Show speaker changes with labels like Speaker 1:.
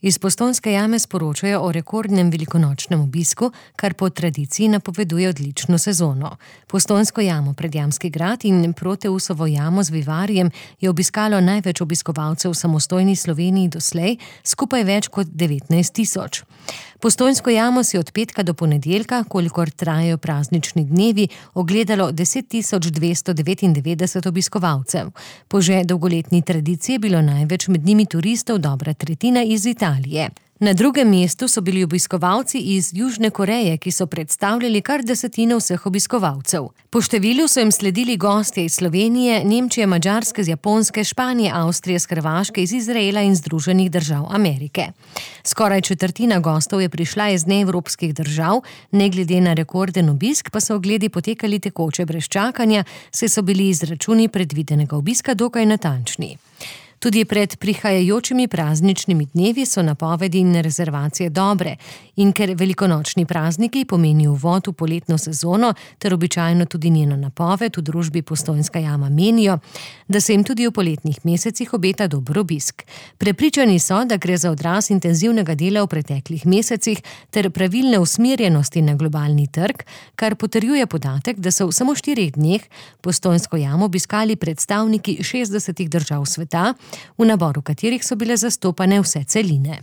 Speaker 1: Iz Postojnske jame sporočajo o rekordnem velikonočnem obisku, kar po tradiciji napoveduje odlično sezono. Postojnsko jamo, Predjamski grad in Proteusovo jamo z vivarjem je obiskalo največ obiskovalcev v samostojni Sloveniji doslej, skupaj več kot 19 tisoč. Postojnsko jamo si od petka do ponedeljka, kolikor trajajo praznični dnevi, ogledalo 10.299 obiskovalcev. Po že dolgoletni tradiciji je bilo največ med njimi turistov, dobra tretjina iz Italije. Na drugem mestu so bili obiskovalci iz Južne Koreje, ki so predstavljali kar desetino vseh obiskovalcev. Po številu so jim sledili gostje iz Slovenije, Nemčije, Madžarske, z Japonske, Španije, Avstrije, z Hrvaške, iz Izraela in Združenih držav Amerike. Skoraj četrtina gostov je prišla iz neevropskih držav, ne glede na rekorden obisk, pa so ogledi potekali tekoče brez čakanja, saj so bili izračuni predvidenega obiska dokaj natančni. Tudi pred prihajajočimi prazničnimi dnevi so napovedi in rezervacije dobre in ker velikonočni prazniki pomenijo uvod v poletno sezono ter običajno tudi njeno napoved, v družbi Postojnska jama menijo, da se jim tudi v poletnih mesecih obeta dober obisk. Prepričani so, da gre za odraz intenzivnega dela v preteklih mesecih ter pravilne usmerjenosti na globalni trg, kar potrjuje podatek, da so v samo 4 dneh Postojnsko jamo obiskali predstavniki 60 držav sveta, v naboru katerih so bile zastopane vse celine.